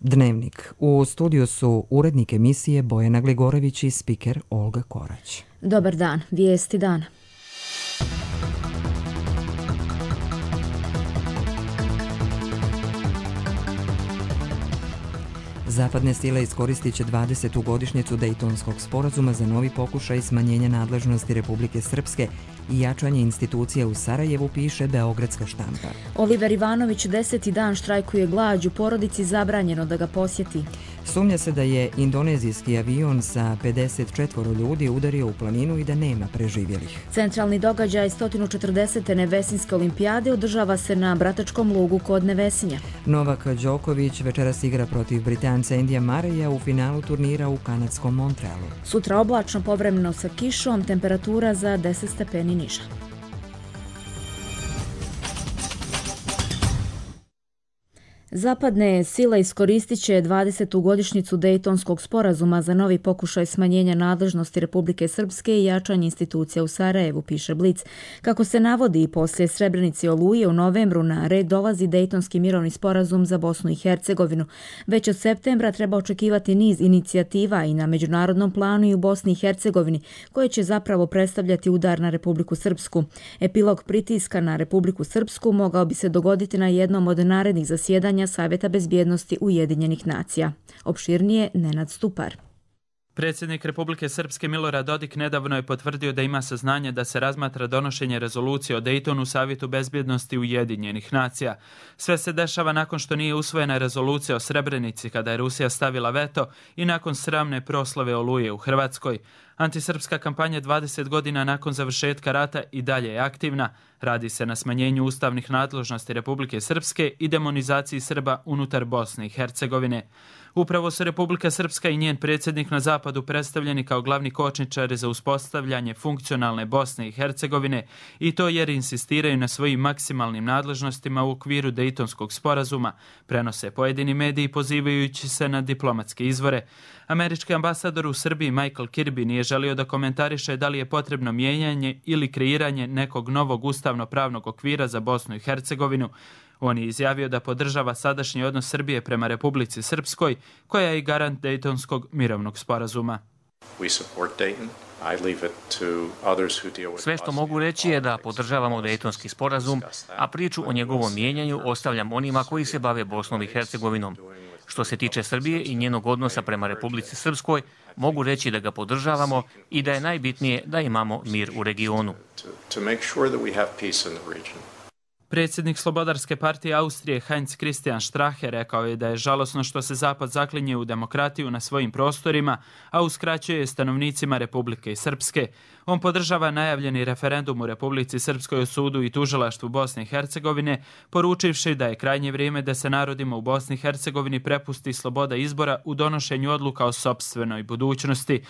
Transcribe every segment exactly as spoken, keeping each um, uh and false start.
Dnevnik. U studiju su urednik emisije Bojana Gligorević i spiker Olga Korać. Dobar dan, vijesti dana. Zapadne sile iskoristit će dvadesetu godišnjicu Dejtonskog sporazuma za novi pokušaj smanjenja nadležnosti Republike Srpske i jačanje institucija u Sarajevu, piše Beogradska štampa. Oliver Ivanović deseti dan štrajkuje glađu, porodici zabranjeno da ga posjeti. Sumnja se da je indonezijski avion sa pedeset četvoro ljudi udario u planinu i da nema preživjelih. Centralni događaj sto četrdesete Nevesinjske olimpijade održava se na Bratačkom lugu kod Nevesinja. Novak Đoković večeras igra protiv Britanca Endija Mareja u finalu turnira u kanadskom Montrealu. Sutra oblačno, povremeno sa kišom, temperatura za deset stepeni niža. Zapadne sile iskoristit će dvadesetu godišnjicu Dejtonskog sporazuma za novi pokušaj smanjenja nadležnosti Republike Srpske i jačanje institucija u Sarajevu, piše Blic. Kako se navodi, poslije Srebrenice i Oluje u novembru na red dolazi Dejtonski mirovni sporazum za Bosnu i Hercegovinu. Već od septembra treba očekivati niz inicijativa i na međunarodnom planu i u Bosni i Hercegovini, koje će zapravo predstavljati udar na Republiku Srpsku. Epilog pritiska na Republiku Srpsku mogao bi se dogoditi na jednom od narednih zasjedanja Savjeta bezbjednosti Ujedinjenih nacija. Opširnije Nenad Stupar. Predsjednik Republike Srpske Milorad Dodik nedavno je potvrdio da ima saznanje da se razmatra donošenje rezolucije o Dejtonu u Savjetu bezbjednosti Ujedinjenih nacija. Sve se dešava nakon što nije usvojena rezolucija o Srebrenici kada je Rusija stavila veto i nakon sramne proslave Oluje u Hrvatskoj. Antisrpska kampanja dvadeset godina nakon završetka rata i dalje je aktivna. Radi se na smanjenju ustavnih nadležnosti Republike Srpske i demonizaciji Srba unutar Bosne i Hercegovine. Upravo su Republika Srpska i njen predsjednik na zapadu predstavljeni kao glavni kočničari za uspostavljanje funkcionalne Bosne i Hercegovine, i to jer insistiraju na svojim maksimalnim nadležnostima u okviru Dejtonskog sporazuma, prenose pojedini mediji pozivajući se na diplomatske izvore. Američki ambasador u Srbiji Michael Kirby nije želio da komentariše da li je potrebno mijenjanje ili kreiranje nekog novog ustavno-pravnog okvira za Bosnu i Hercegovinu. On je izjavio da podržava sadašnji odnos Srbije prema Republici Srpskoj, koja je i garant Dejtonskog mirovnog sporazuma. Sve što mogu reći je da podržavamo Dejtonski sporazum, a priču o njegovom mijenjanju ostavljam onima koji se bave Bosnom i Hercegovinom. Što se tiče Srbije i njenog odnosa prema Republici Srpskoj, mogu reći da ga podržavamo i da je najbitnije da imamo mir u regionu. Predsjednik Slobodarske partije Austrije Heinz Christian Strache rekao je da je žalosno što se Zapad zaklinje u demokratiju na svojim prostorima, a uskraćuje stanovnicima Republike Srpske. On podržava najavljeni referendum u Republici Srpskoj o sudu i tužilaštvu Bosne i Hercegovine, poručivši da je krajnje vrijeme da se narodima u Bosni i Hercegovini prepusti sloboda izbora u donošenju odluka o sopstvenoj budućnosti.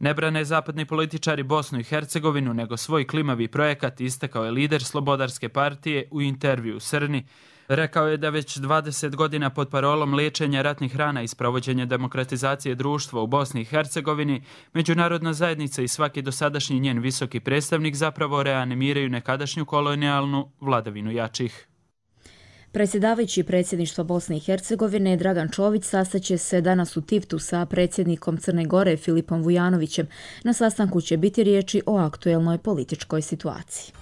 Ne brane zapadni političari Bosnu i Hercegovinu, nego svoj klimavi projekat, istakao je lider Slobodarske partije u intervju u Srni. Rekao je da već dvadeset godina pod parolom liječenja ratnih rana i sprovođenja demokratizacije društva u Bosni i Hercegovini, međunarodna zajednica i svaki dosadašnji njen visoki predstavnik zapravo reanimiraju nekadašnju kolonijalnu vladavinu jačih. Predsjedavajući predsjedništva Bosne i Hercegovine Dragan Čović sastaće se danas u Tivtu sa predsjednikom Crne Gore Filipom Vujanovićem. Na sastanku će biti riječi o aktuelnoj političkoj situaciji.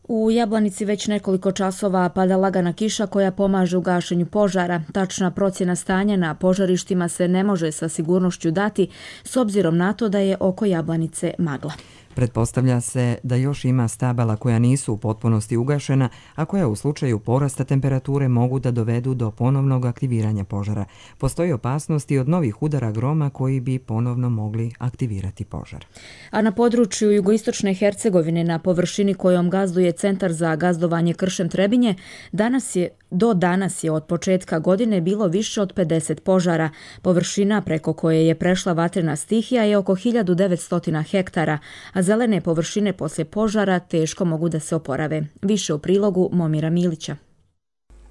U Jablanici već nekoliko časova pada lagana kiša koja pomaže u gašenju požara. Tačna procjena stanja na požarištima se ne može sa sigurnošću dati s obzirom na to da je oko Jablanice magla. Pretpostavlja se da još ima stabala koja nisu u potpunosti ugašena, a koja u slučaju porasta temperature mogu da dovedu do ponovnog aktiviranja požara. Postoji opasnost i od novih udara groma koji bi ponovno mogli aktivirati požar. A na području jugoistočne Hercegovine, na površini kojom gazduje Centar za gazdovanje kršem Trebinje, danas je Do danas je od početka godine bilo više od pedeset požara. Površina preko koje je prešla vatrena stihija je oko hiljadu devetsto hektara, a zelene površine poslije požara teško mogu da se oporave. Više u prilogu Momira Milića.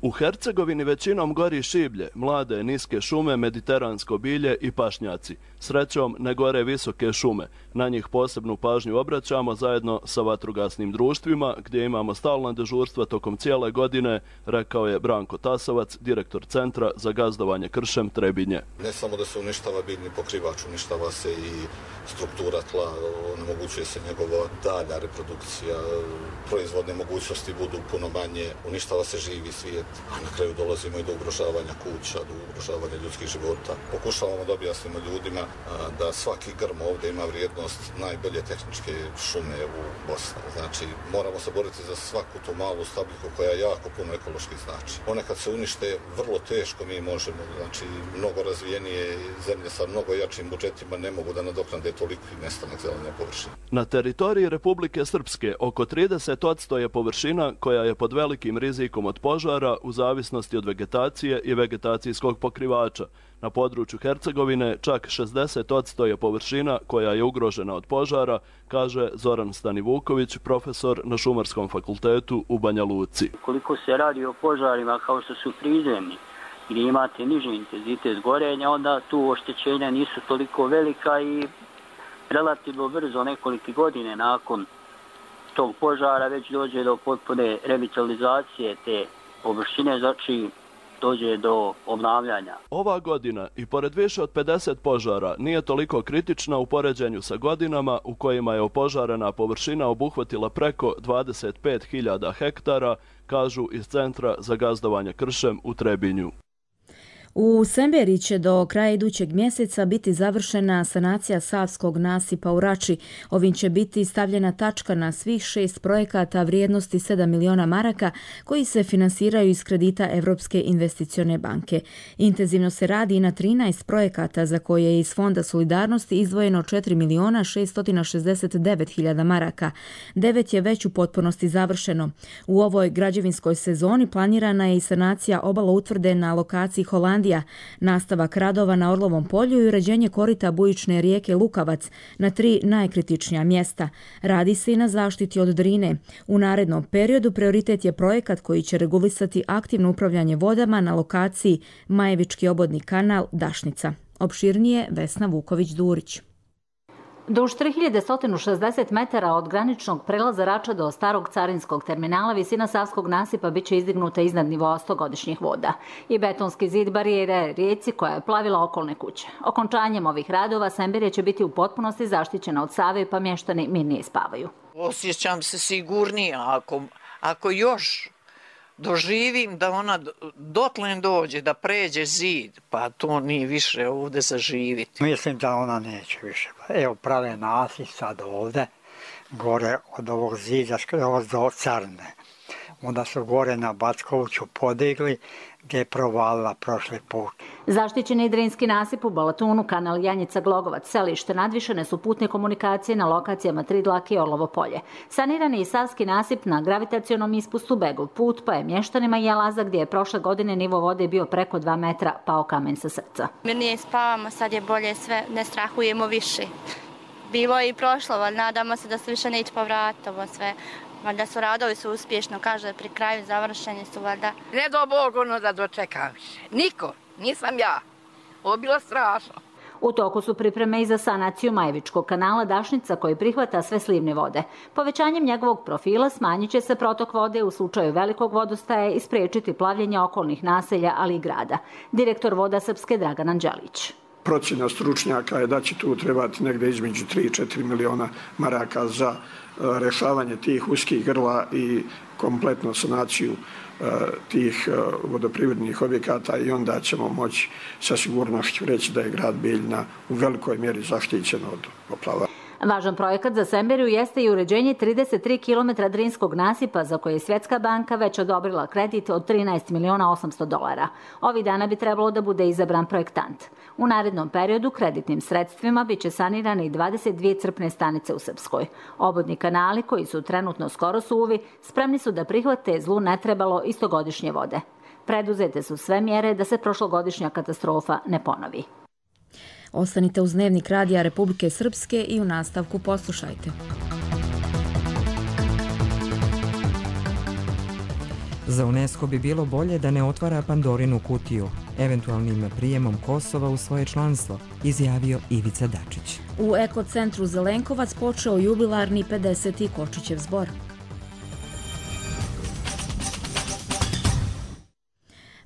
U Hercegovini većinom gori šiblje, mlade niske šume, mediteransko bilje i pašnjaci. Srećom ne gore visoke šume. Na njih posebnu pažnju obraćamo zajedno sa vatrogasnim društvima gdje imamo stalna dežurstva tokom cijele godine, rekao je Branko Tasovac, direktor Centra za gazdovanje kršem Trebinje. Ne samo da se uništava biljni pokrivač, uništava se i struktura tla, onemogućuje se njegova dalja reprodukcija, proizvodne mogućnosti budu puno manje, uništava se živi svijet, a na kraju dolazimo i do ugrožavanja kuća, do ugrožavanja ljudskih života. Pokušavamo da objasnimo ljudima da svaki grm ovdje ima vrijednost najbolje tehničke šume u Bosni. Znači, moramo se boriti za svaku tu malu stabljiku koja jako puno ekološki znači. One kad se unište, vrlo teško mi možemo, znači, mnogo razvijenije zemlje sa mnogo jačim budžetima ne mogu da nadoknade toliki nestanak zelene površine. Na teritoriji Republike Srpske oko trideset posto je površina koja je pod velikim rizikom od požara u zavisnosti od vegetacije i vegetacijskog pokrivača. Na području Hercegovine čak šezdeset posto je površina koja je ugrožena od požara, kaže Zoran Stanivuković, profesor na Šumarskom fakultetu u Banja Luci. Koliko se radi o požarima kao što su prizemni, gdje imate niži intenzitet gorenja, onda tu oštećenja nisu toliko velika i relativno brzo, nekoliko godine nakon tog požara već dođe do potpune revitalizacije te površine, znači dođe do obnavljanja. Ova godina i pored više od pedeset požara nije toliko kritična u poređenju sa godinama u kojima je opožarena površina obuhvatila preko dvadeset pet hiljada hektara, kažu iz Centra za gazdovanje kršem u Trebinju. U Semberi će do kraja idućeg mjeseca biti završena sanacija Savskog nasipa u Rači. Ovim će biti stavljena tačka na svih šest projekata vrijednosti sedam miliona maraka koji se finansiraju iz kredita Europske investicione banke. Intenzivno se radi i na trinaest projekata za koje je iz Fonda solidarnosti izdvojeno četiri miliona šesto šezdeset devet hiljada maraka. Devet je već u potpunosti završeno. U ovoj građevinskoj sezoni planirana je i sanacija obaloutvrde na lokaciji Holandije, nastavak radova na Orlovom polju i uređenje korita bujične rijeke Lukavac na tri najkritičnija mjesta. Radi se i na zaštiti od Drine. U narednom periodu prioritet je projekat koji će regulisati aktivno upravljanje vodama na lokaciji Majevički obodni kanal Dašnica. Opširnije Vesna Vuković-Durić. Duž tri hiljade sto šezdeset metara od graničnog prelaza Rača do starog carinskog terminala visina Savskog nasipa bit će izdignuta iznad nivoa stogodišnjih voda i betonski zid barijere rijeci koja je plavila okolne kuće. Okončanjem ovih radova Semberija će biti u potpunosti zaštićena od Save pa mještani mirnije spavaju. Osjećam se sigurnije ako, ako još doživim da ona dotlen dođe, da pređe zid, pa to nije više ovdje zaživiti. Mislim da ona neće više. Evo prave nasip sad ovdje, gore od ovog zida skroz do Carne. Onda su gore na Backoviću podigli gdje je provalila prošli put. Zaštićeni Drinski nasip u Balatunu, kanal Janjica-Glogovac, selište, nadvišene su putne komunikacije na lokacijama Tridlak i Orlovo polje. Sanirani je Savski nasip na gravitacionom ispustu Begov put, pa je mještanima Jelaza gdje je prošle godine nivo vode bio preko dva metra pao kamen sa srca. Mi nije spavamo, sad je bolje sve, ne strahujemo više. Bilo je i prošlo, ali nadamo se da se više neće povratiti ovo sve. Valjda su radovi su uspješno, kaže da pri kraju završeni su valjda. Ne do Bog ono da dočekam više. Niko, nisam ja. Ovo je bilo strašno. U toku su pripreme i za sanaciju Majevičkog kanala Dašnica koji prihvata sve slivne vode. Povećanjem njegovog profila smanjit će se protok vode u slučaju velikog vodostaja i spriječiti plavljenje okolnih naselja, ali i grada. Direktor Voda Srpske Dragan Anđelić. Procjena stručnjaka je da će tu trebati negdje između tri do četiri miliona maraka za rješavanje tih uskih grla i kompletnu sanaciju tih vodoprivrednih objekata i onda ćemo moći sa sigurnošću reći da je grad Bijeljina u velikoj mjeri zaštićen od poplava. Važan projekat za Semberiju jeste i uređenje trideset tri kilometra Drinskog nasipa za koje je Svjetska banka već odobrila kredit od trinaest miliona osamsto dolara. Ovih dana bi trebalo da bude izabran projektant. U narednom periodu kreditnim sredstvima biće sanirane i dvadeset dvije crpne stanice u Srpskoj. Obodni kanali koji su trenutno skoro suvi spremni su da prihvate zlu netrebalo istogodišnje vode. Preduzete su sve mjere da se prošlogodišnja katastrofa ne ponovi. Ostanite uz Dnevnik radija Republike Srpske i u nastavku poslušajte. Za UNESCO bi bilo bolje da ne otvara Pandorinu kutiju, eventualnim prijemom Kosova u svoje članstvo, izjavio Ivica Dačić. U ekocentru Zelenkovac počeo jubilarni pedeseti Kočićev zbor.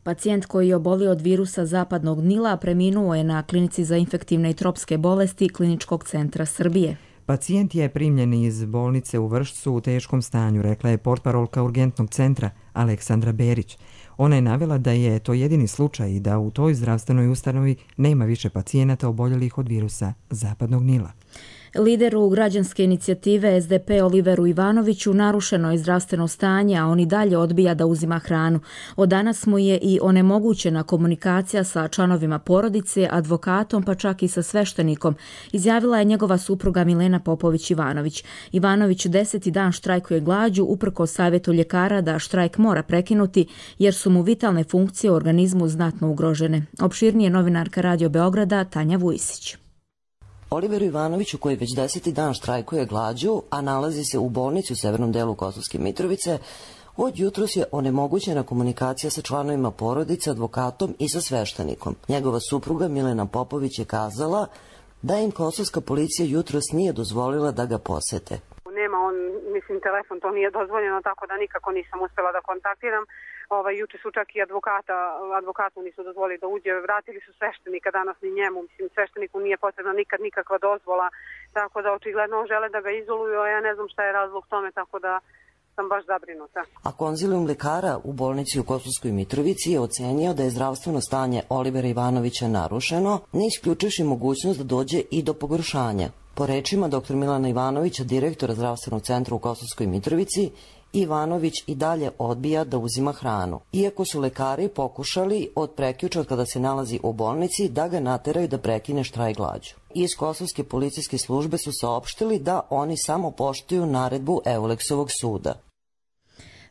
Pacijent koji je obolio od virusa zapadnog Nila preminuo je na klinici za infektivne i tropske bolesti Kliničkog centra Srbije. Pacijent je primljen iz bolnice u Vršcu u teškom stanju, rekla je portparolka urgentnog centra Aleksandra Berić. Ona je navela da je to jedini slučaj i da u toj zdravstvenoj ustanovi nema više pacijenata oboljelih od virusa zapadnog Nila. Lideru građanske inicijative S D P Oliveru Ivanoviću narušeno je zdravstveno stanje, a on i dalje odbija da uzima hranu. Od danas mu je i onemogućena komunikacija sa članovima porodice, advokatom pa čak i sa sveštenikom, izjavila je njegova supruga Milena Popović-Ivanović. Ivanović deseti dan štrajkuje glađu uprkos savjetu ljekara da štrajk mora prekinuti jer su mu vitalne funkcije u organizmu znatno ugrožene. Opširnije novinarka Radio Beograda Tanja Vujisić. Oliveru Ivanoviću, koji već deseti dan štrajkuje glađu, a nalazi se u bolnici u severnom delu Kosovske Mitrovice, od jutros je onemogućena komunikacija sa članovima porodice, advokatom i sa sveštenikom. Njegova supruga Milena Popović je kazala da im kosovska policija jutros nije dozvolila da ga posete. Nema on, mislim, telefon, to nije dozvoljeno, tako da nikako nisam uspela da kontaktiram. Ovaj, juče su čak i advokata, advokatu nisu dozvolili da uđe, vratili su sveštenika, danas ni njemu, mislim, svešteniku nije potrebna nikad nikakva dozvola, tako da očigledno žele da ga izoluju, a ja ne znam šta je razlog tome, tako da sam baš zabrinuta. A konzilijum lekara u bolnici u Kosovskoj Mitrovici je ocenio da je zdravstveno stanje Olivera Ivanovića narušeno, ne isključivši mogućnost da dođe i do pogoršanja. Po rečima doktor Milana Ivanovića, direktora zdravstvenog centra u Kosovskoj Mitrovici, Ivanović i dalje odbija da uzima hranu. Iako su lekari pokušali od prekjuče od kada se nalazi u bolnici da ga nateraju da prekine štrajk glađu. Iz kosovske policijske službe su saopštili da oni samo poštuju naredbu Euleksovog suda.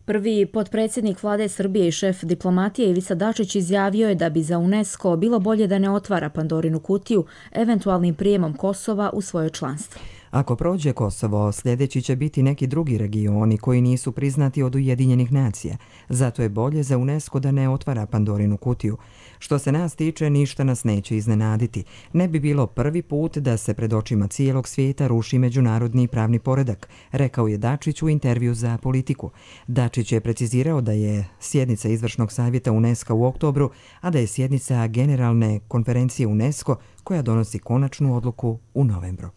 Prvi potpredsjednik vlade Srbije i šef diplomatije Ivica Dačić izjavio je da bi za UNESCO bilo bolje da ne otvara Pandorinu kutiju eventualnim prijemom Kosova u svoje članstvo. Ako prođe Kosovo, sljedeći će biti neki drugi regioni koji nisu priznati od Ujedinjenih nacija. Zato je bolje za UNESCO da ne otvara Pandorinu kutiju. Što se nas tiče, ništa nas neće iznenaditi. Ne bi bilo prvi put da se pred očima cijelog svijeta ruši međunarodni pravni poredak, rekao je Dačić u intervju za Politiku. Dačić je precizirao da je sjednica izvršnog savjeta UNESCO u oktobru, a da je sjednica generalne konferencije UNESCO koja donosi konačnu odluku u novembru.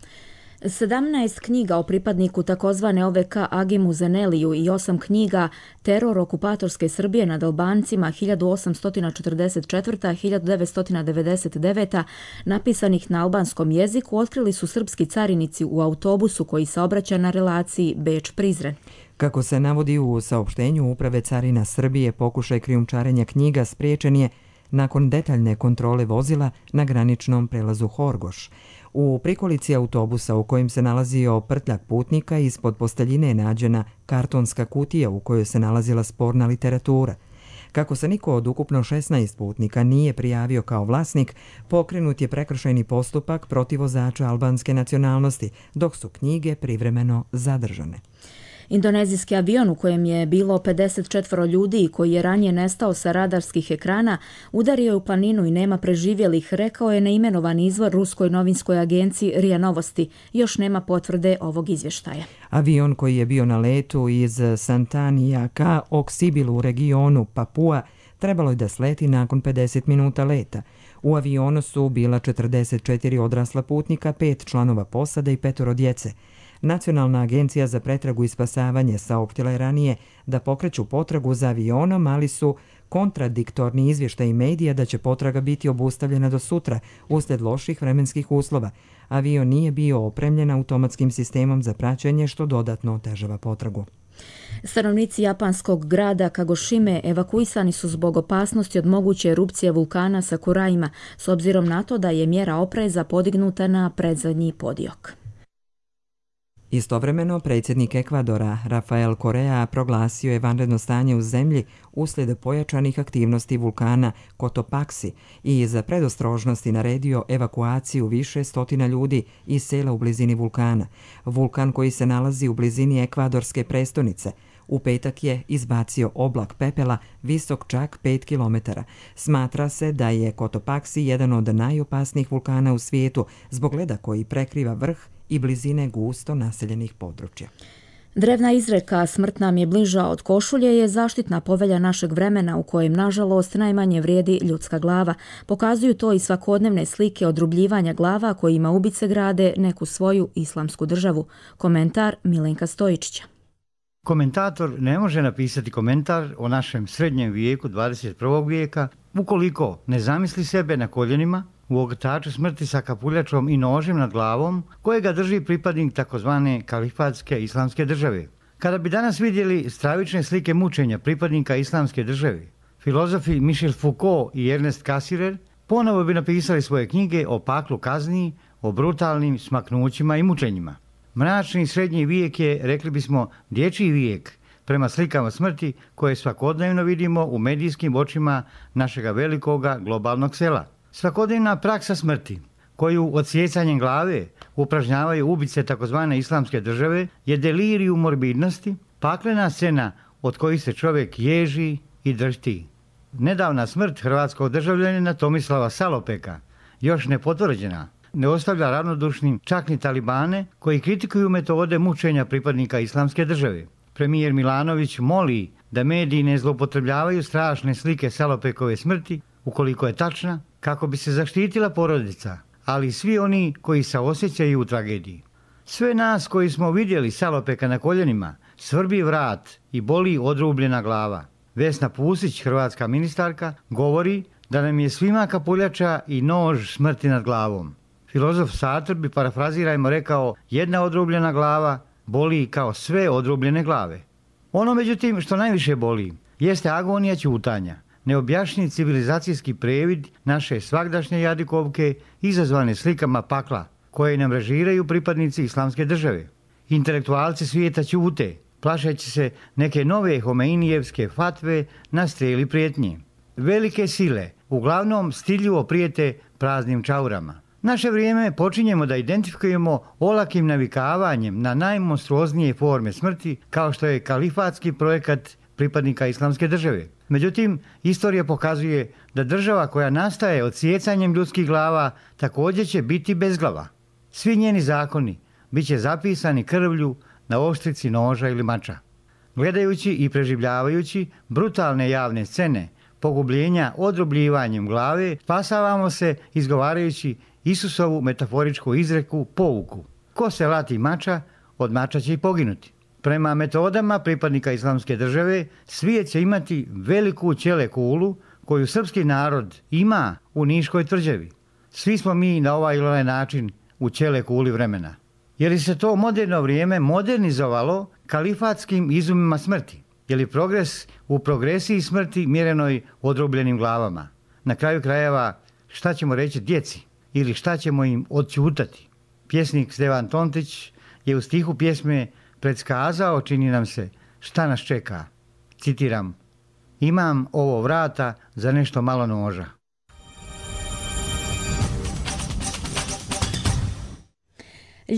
sedamnaest knjiga o pripadniku takozvane O V K Agimu Zeneliju i osam knjiga Teror okupatorske Srbije nad Albancima hiljadu osamsto četrdeset četvrta do hiljadu devetsto devedeset deveta napisanih na albanskom jeziku otkrili su srpski carinici u autobusu koji saobraća na relaciji Beč-Prizren. Kako se navodi u saopštenju Uprave carina Srbije, pokušaj krijumčarenja knjiga spriječen je nakon detaljne kontrole vozila na graničnom prelazu Horgoš. U prikolici autobusa u kojem se nalazio prtljak putnika ispod posteljine je nađena kartonska kutija u kojoj se nalazila sporna literatura. Kako se niko od ukupno šesnaest putnika nije prijavio kao vlasnik, pokrenut je prekršajni postupak protiv vozača albanske nacionalnosti, dok su knjige privremeno zadržane. Indonezijski avion u kojem je bilo pedeset četvoro ljudi i koji je ranije nestao sa radarskih ekrana udario je u planinu i nema preživjelih, rekao je neimenovani izvor ruskoj novinskoj agenciji R I A Novosti. Još nema potvrde ovog izvještaja. Avion koji je bio na letu iz Santanija ka Oksibilu u regionu Papua trebalo je da sleti nakon pedeset minuta leta. U avionu su bila četrdeset četiri odrasla putnika, pet članova posade i petoro djece. Nacionalna agencija za pretragu i spasavanje saopštila je ranije da pokreću potragu za avionom, ali su kontradiktorni izvještaji medija da će potraga biti obustavljena do sutra uslijed loših vremenskih uslova. Avion nije bio opremljen automatskim sistemom za praćenje, što dodatno otežava potragu. Stanovnici japanskog grada Kagošime evakuisani su zbog opasnosti od moguće erupcije vulkana Sakuraima, s obzirom na to da je mjera opreza podignuta na predzadnji podiok. Istovremeno, predsjednik Ekvadora Rafael Correa proglasio je vanredno stanje u zemlji uslijed pojačanih aktivnosti vulkana Cotopaxi i za predostrožnosti naredio evakuaciju više stotina ljudi iz sela u blizini vulkana. Vulkan koji se nalazi u blizini ekvadorske prestonice U petak je izbacio oblak pepela visok čak pet kilometara. Smatra se da je Cotopaxi jedan od najopasnijih vulkana u svijetu zbog leda koji prekriva vrh i blizine gusto naseljenih područja. Drevna izreka "Smrt nam je bliža od košulje" je zaštitna povelja našeg vremena u kojem, nažalost, najmanje vrijedi ljudska glava. Pokazuju to i svakodnevne slike odrubljivanja glava kojima ubice grade neku svoju islamsku državu. Komentar Milenka Stojičića. Komentator ne može napisati komentar o našem srednjem vijeku dvadeset prvog vijeka ukoliko ne zamisli sebe na koljenima u ogrtaču smrti sa kapuljačom i nožem nad glavom kojega drži pripadnik takozvane kalifatske islamske države. Kada bi danas vidjeli stravične slike mučenja pripadnika islamske države, filozofi Michel Foucault i Ernest Cassirer ponovo bi napisali svoje knjige o paklu kazni, o brutalnim smaknućima i mučenjima. Mračni srednji vijek je, rekli bismo, dječji vijek prema slikama smrti koje svakodnevno vidimo u medijskim očima našega velikoga globalnog sela. Svakodnevna praksa smrti, koju odsjecanjem glave upražnjavaju ubice takozvane islamske države, je delirium morbidnosti, paklena scena od kojih se čovjek ježi i dršti. Nedavna smrt hrvatskog državljanina Tomislava Salopeka, još nepotvrđena, ne ostavlja ravnodušnim čak ni talibane koji kritikuju metode mučenja pripadnika islamske države. Premijer Milanović moli da mediji ne zloupotrebljavaju strašne slike Salopekove smrti, ukoliko je tačna, kako bi se zaštitila porodica, ali i svi oni koji se osjećaju u tragediji. Sve nas koji smo vidjeli Salopeka na koljenima svrbi vrat i boli odrubljena glava. Vesna Pusić, hrvatska ministarka, govori da nam je svima kapuljača i nož smrti nad glavom. Filozof Sartre bi, parafrazirajmo, rekao: jedna odrubljena glava boli kao sve odrubljene glave. Ono, međutim, što najviše boli jeste agonija ćutanja, neobjašnjiv civilizacijski previd naše svagdašnje jadikovke izazvane slikama pakla koje nam režiraju pripadnici islamske države. Intelektualci svijeta ćute, plašeći se neke nove Homeinijevske fatve na streli prijetnje. Velike sile uglavnom stidljivo prijete praznim čaurama. Naše vrijeme počinjemo da identifikujemo olakim navikavanjem na najmonstruoznije forme smrti, kao što je kalifatski projekat pripadnika islamske države. Međutim, istorija pokazuje da država koja nastaje odsjecanjem ljudskih glava također će biti bezglava. Svi njeni zakoni bit će zapisani krvlju na oštrici noža ili mača. Gledajući i preživljavajući brutalne javne scene pogubljenja odrubljivanjem glave, spasavamo se izgovarajući Isusovu metaforičku izreku, pouku: ko se lati mača, od mača će i poginuti. Prema metodama pripadnika islamske države, svijet će imati veliku ćele kulu koju srpski narod ima u Niškoj tvrđavi. Svi smo mi na ovaj ili onaj način u ćele kuli vremena. Je li se to moderno vrijeme modernizovalo kalifatskim izumima smrti? Je li progres u progresiji smrti mjerenoj odrubljenim glavama? Na kraju krajeva, šta ćemo reći djeci ili šta ćemo im odćutati? Pjesnik Stevan Tontić je u stihu pjesme predskazao, čini nam se, šta nas čeka. Citiram: imam ovo vrata za nešto malo noža.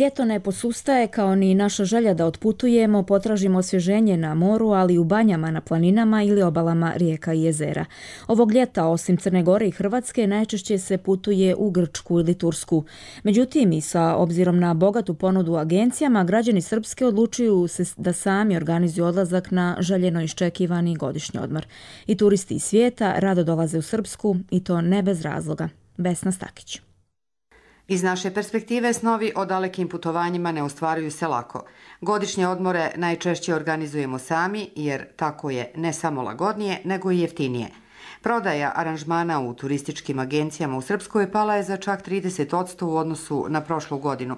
Ljeto ne posustaje kao ni naša želja da otputujemo, potražimo osvježenje na moru, ali i u banjama na planinama ili obalama rijeka i jezera. Ovog ljeta, osim Crne Gore i Hrvatske, najčešće se putuje u Grčku ili Tursku. Međutim, i sa obzirom na bogatu ponudu agencijama, građani Srpske odlučuju se da sami organizuju odlazak na željeno iščekivani godišnji odmor. I turisti iz svijeta rado dolaze u Srpsku, i to ne bez razloga. Vesna Stakić. Iz naše perspektive snovi o dalekim putovanjima ne ostvaruju se lako. Godišnje odmore najčešće organizujemo sami jer tako je ne samo lagodnije nego i jeftinije. Prodaja aranžmana u turističkim agencijama u Srpskoj pala je za čak trideset posto u odnosu na prošlu godinu,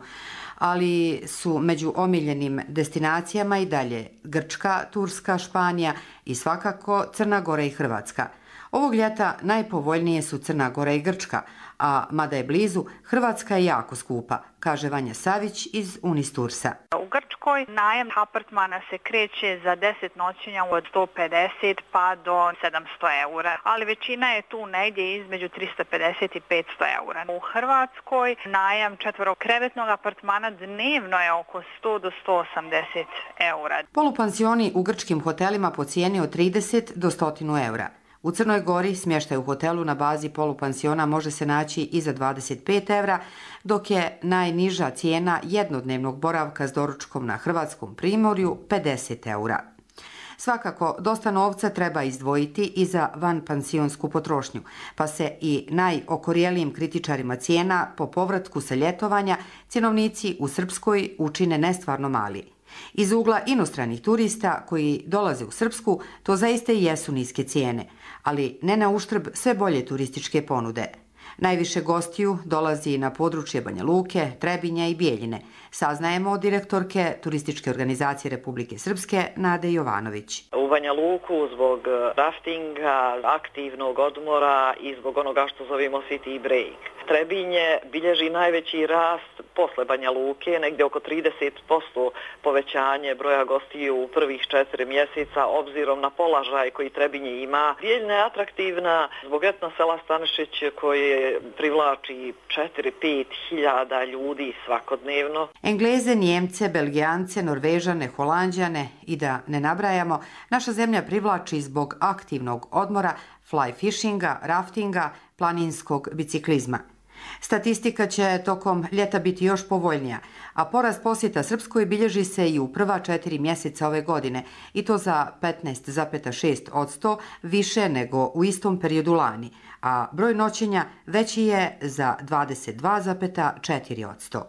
ali su među omiljenim destinacijama i dalje Grčka, Turska, Španija i svakako Crna Gora i Hrvatska. Ovog ljeta najpovoljnije su Crna Gora i Grčka, a mada je blizu, Hrvatska je jako skupa, kaže Vanja Savić iz Unistursa. U Grčkoj najam apartmana se kreće za deset noćenja od sto pedeset pa do sedamsto eura, ali većina je tu negdje između trista pedeset i petsto eura. U Hrvatskoj najam četvorokrevetnog apartmana dnevno je oko sto do sto osamdeset eura. Polupansioni u grčkim hotelima po cijeni od trideset do sto eura. U Crnoj Gori smještaj u hotelu na bazi polupansiona može se naći i za dvadeset pet evra, dok je najniža cijena jednodnevnog boravka s doručkom na hrvatskom primorju pedeset eura. Svakako, dosta novca treba izdvojiti i za vanpansionsku potrošnju, pa se i najokorjelijim kritičarima cijena po povratku sa ljetovanja cjenovnici u Srpskoj učine nestvarno mali. Iz ugla inostranih turista koji dolaze u Srpsku, to zaista i jesu niske cijene, ali ne na uštrb sve bolje turističke ponude. Najviše gostiju dolazi na područje Banja Luke, Trebinja i Bijeljine, saznajemo od direktorke Turističke organizacije Republike Srpske Nade Jovanović. U Banja Luku zbog raftinga, aktivnog odmora i zbog onoga što zovemo city break. Trebinje bilježi najveći rast posle Banja Luke, negdje oko trideset posto povećanje broja gostiju u prvih četiri mjeseca, obzirom na položaj koji Trebinje ima. Bijeljina je atraktivna zbog etno sela Stanišić koje privlači četiri do pet hiljada ljudi svakodnevno. Engleze, Njemce, Belgijance, Norvežane, Holanđane i da ne nabrajamo, naša zemlja privlači zbog aktivnog odmora, fly fishinga, raftinga, planinskog biciklizma. Statistika će tokom ljeta biti još povoljnija, a porast posjeta Srpskoj bilježi se i u prva četiri mjeseca ove godine, i to za petnaest zarez šest posto više nego u istom periodu lani, a broj noćenja veći je za dvadeset dva zarez četiri posto.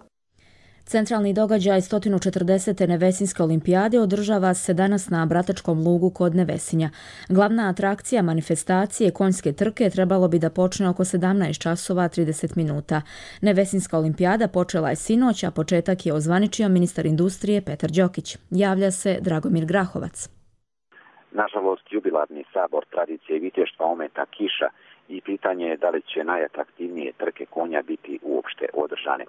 Centralni događaj sto četrdesete Nevesinjske olimpijade održava se danas na Bratačkom lugu kod Nevesinja. Glavna atrakcija manifestacije konjske trke trebalo bi da počne oko sedamnaest časova trideset minuta. Nevesinjska olimpijada počela je sinoć, a početak je ozvaničio ministar industrije Petar Đokić. Javlja se Dragomir Grahovac. Nažalost, jubilarni sabor tradicije i viteštva ometa kiša i pitanje je da li će najatraktivnije trke konja biti uopšte održane.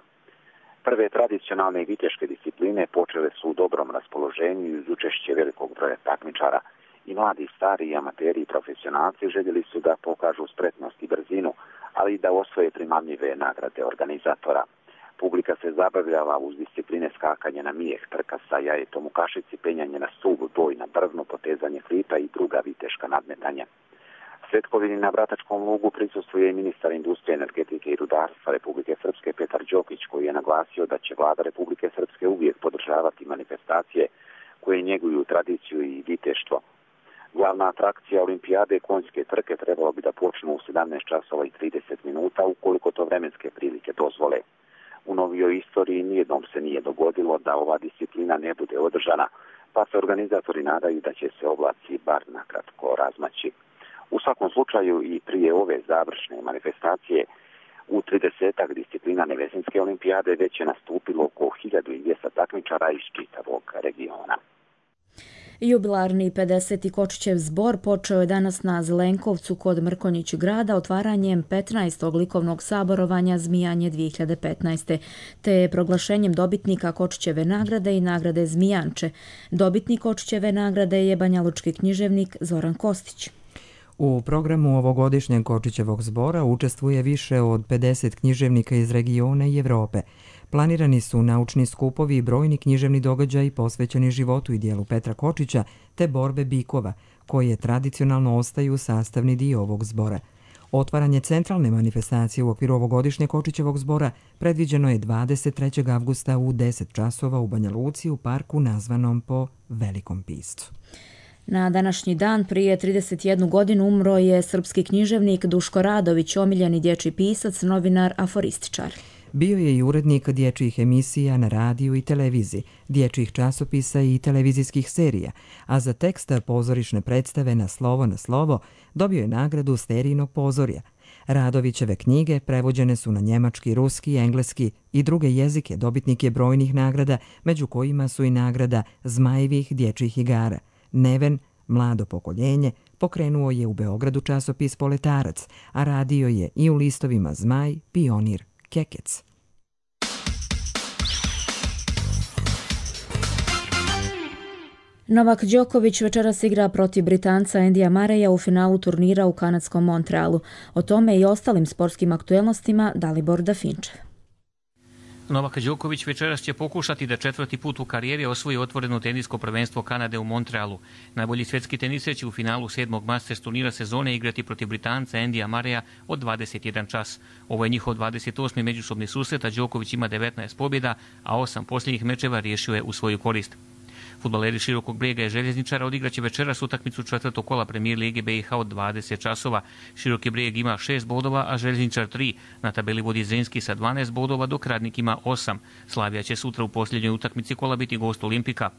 Prve tradicionalne i viteške discipline počele su u dobrom raspoloženju uz učešće velikog broja takmičara. I mladi, stari, i amateri i profesionalci željeli su da pokažu spretnost i brzinu, ali i da osvoje primamljive nagrade organizatora. Publika se zabavljala uz discipline skakanje na mijeh, trka sa jajetom u kašici, penjanje na stubu, boj na brvnu, potezanje flipa i druga viteška nadmetanja. Svetkovini na Bratačkom lugu prisustvuje i ministar industrije, energetike i rudarstva Republike Srpske Petar Đokić, koji je naglasio da će vlada Republike Srpske uvijek podržavati manifestacije koje njeguju tradiciju i viteštvo. Glavna atrakcija olimpijade konjske trke trebalo bi da počnu u sedamnaest časova i trideset minuta ukoliko to vremenske prilike dozvole. U novijoj istoriji nijednom se nije dogodilo da ova disciplina ne bude održana, pa se organizatori nadaju da će se oblaci bar nakratko razmaći. U svakom slučaju i prije ove završne manifestacije u tridesetak disciplina Nevesinjske olimpijade već je nastupilo oko hiljadu dvjesto takmičara iz čitavog regiona. Jubilarni pedeseti Kočićev zbor počeo je danas na Zelenkovcu kod Mrkonjić grada otvaranjem petnaestog likovnog saborovanja Zmijanje dvije hiljade petnaeste. te proglašenjem dobitnika Kočićeve nagrade i nagrade Zmijanče. Dobitnik Kočićeve nagrade je banjalučki književnik Zoran Kostić. U programu ovogodišnjeg Kočićevog zbora učestvuje više od pedeset književnika iz regiona i Evrope. Planirani su naučni skupovi i brojni književni događaji posvećeni životu i dijelu Petra Kočića te borbe bikova, koje tradicionalno ostaju sastavni dio ovog zbora. Otvaranje centralne manifestacije u okviru ovogodišnjeg Kočićevog zbora predviđeno je dvadeset trećeg avgusta u deset časova u Banja Luci u parku nazvanom po Velikom piscu. Na današnji dan prije trideset jednu godinu umro je srpski književnik Duško Radović, omiljeni dječji pisac, novinar, aforističar. Bio je i urednik dječjih emisija na radiju i televiziji, dječjih časopisa i televizijskih serija, a za tekst pozorišne predstave Na slovo na slovo dobio je nagradu Sterijnog pozorja. Radovićeve knjige prevođene su na njemački, ruski, engleski i druge jezike, dobitnik je brojnih nagrada, među kojima su i nagrada Zmajevih dječjih igara, Neven, Mlado pokoljenje, Pokrenuo je u Beogradu časopis Poletarac, a radio je i u listovima Zmaj, Pionir, Kekec. Novak Đoković večeras igra protiv Britanca Andyja Murraya u finalu turnira u kanadskom Montrealu. O tome i ostalim sportskim aktuelnostima Dalibor Dafinčev. Novak Đoković večeras će pokušati da četvrti put u karijeri osvoji otvoreno tenisko prvenstvo Kanade u Montrealu. Najbolji svetski teniser će u finalu sedmog Masters turnira sezone igrati protiv Britanca Andyja Murraya od dvadeset jedan čas. Ovo je njihov dvadeset osmi međusobni susret, a Đoković ima devetnaest pobjeda, a osam posljednjih mečeva riješio je u svoju korist. Fudbaleri Širokog Brijega i Željezničara odigraće večeras utakmicu četvrtog kola Premijer lige B i H od dvadeset časova. Široki Brijeg ima šest bodova, a Željezničar tri. Na tabeli vodi Zrinski sa dvanaest bodova, dok Radnik ima osam. Slavija će sutra u posljednjoj utakmici kola biti gost Olimpika.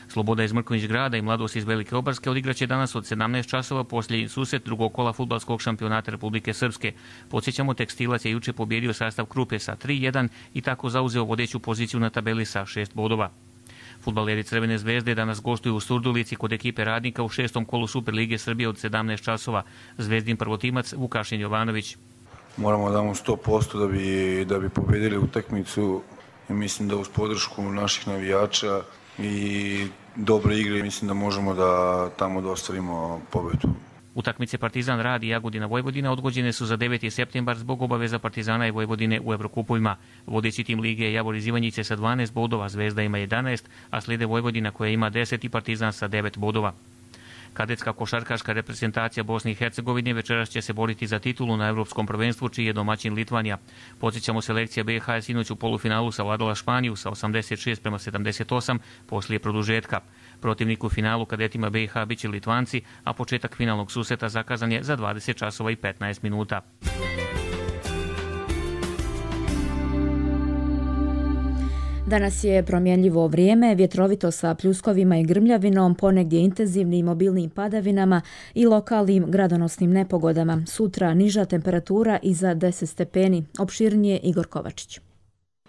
Sloboda iz Mrkonjić Grada i Mladost iz Velike Obarske odigraće danas od sedamnaest časova posljednji susret drugog kola fudbalskog šampionata Republike Srpske. Podsjećamo, Tekstilac je juče pobjedio sastav Krupe sa tri jedan i tako zauzeo vodeću poziciju na tabeli sa šest bodova. Fudbaleri Crvene zvezde danas gostuju u Surdulici kod ekipe Radnika u šestom kolu Superlige Srbije od sedamnaest časova. Zvezdin prvotimac Vukašin Jovanović. Moramo da damo sto posto da bi, da bi pobedili utakmicu. Mislim da uz podršku naših navijača i dobre igre mislim da možemo da tamo da ostvarimo pobedu. Utakmice Partizan Rad i Jagodina Vojvodina odgođene su za deveti septembar zbog obaveza Partizana i Vojvodine u Evrokupovima. Vodeći tim lige je Javor iz Ivanjice sa dvanaest bodova, Zvezda ima jedanaest, a slijede Vojvodina koja ima deset i Partizan sa devet bodova. Kadetska košarkaška reprezentacija Bosne i Hercegovine večeras će se boriti za titulu na Evropskom prvenstvu, čiji je domaćin Litvanija. Podsjećamo, selekcija B i H je sinoć u polufinalu savladala Španiju sa osamdeset šest prema sedamdeset osam poslije produžetka. Protivnik u finalu kadetima B i H biće Litvanci, a početak finalnog susreta zakazan je za dvadeset časova i petnaest minuta. Danas je promjenljivo vrijeme, vjetrovito sa pljuskovima i grmljavinom, ponegdje intenzivnim obilnim padavinama i lokalnim gradonosnim nepogodama. Sutra niža temperatura iza deset stepeni. Opširnije Igor Kovačić.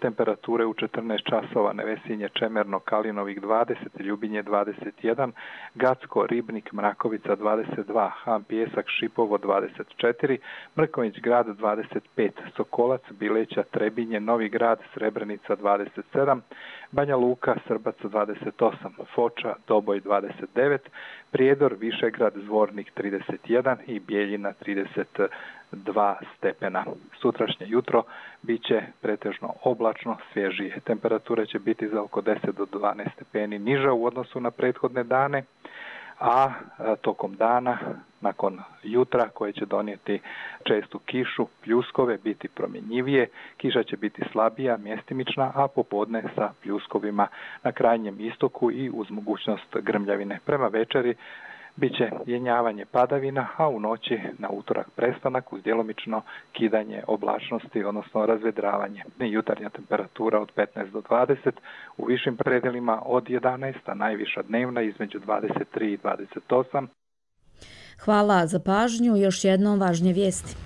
Temperature u četrnaest časova: Nevesinje, Čemerno, Kalinovik dvadeset, Ljubinje dvadeset jedan, Gacko, Ribnik, Mrakovica dvadeset dva, Han Pijesak, Šipovo dvadeset četiri, Mrkonjić Grad dvadeset pet, Sokolac, Bileća, Trebinje, Novi Grad, Srebrenica dvadeset sedam, Banja Luka, Srbac dvadeset osam, Foča, Doboj dvadeset devet, Prijedor, Višegrad, Zvornik trideset jedan i Bijeljina trideset dva stepena. Sutrašnje jutro bit će pretežno oblačno, svježije. Temperature će biti za oko deset do dvanaest stepeni niža u odnosu na prethodne dane, a tokom dana, nakon jutra koje će donijeti čestu kišu, pljuskove, biti promjenjivije, kiša će biti slabija, mjestimična, a popodne sa pljuskovima na krajnjem istoku i uz mogućnost grmljavine. Prema večeri biće jenjavanje padavina, a u noći na utorak prestanak uz djelomično kidanje oblačnosti, odnosno razvedravanje. Jutarnja temperatura od petnaest do dvadeset, u višim predelima od jedanaest, a najviša dnevna između dvadeset tri i dvadeset osam. Hvala za pažnju. Još jednom važnije vijesti.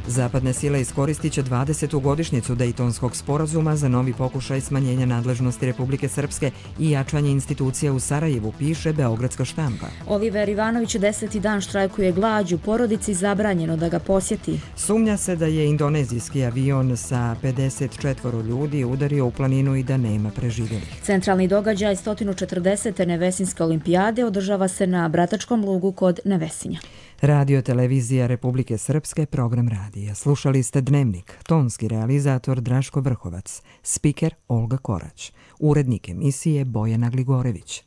Zapadne sile iskoristit će dvadesetu godišnjicu Dejtonskog sporazuma za novi pokušaj smanjenja nadležnosti Republike Srpske i jačanje institucija u Sarajevu, piše Beogradska štampa. Oliver Ivanović deseti dan štrajkuje glađu, porodici zabranjeno da ga posjeti. Sumnja se da je indonezijski avion sa pedeset četvoro ljudi udario u planinu i da nema preživjelih. Centralni događaj sto četrdesete Nevesinske olimpijade održava se na Bratačkom lugu kod Nevesinja. Radio televizija Republike Srpske, program radija. Slušali ste Dnevnik, tonski realizator Draško Vrhovac, spiker Olga Korać, urednik emisije Bojana Gligorević.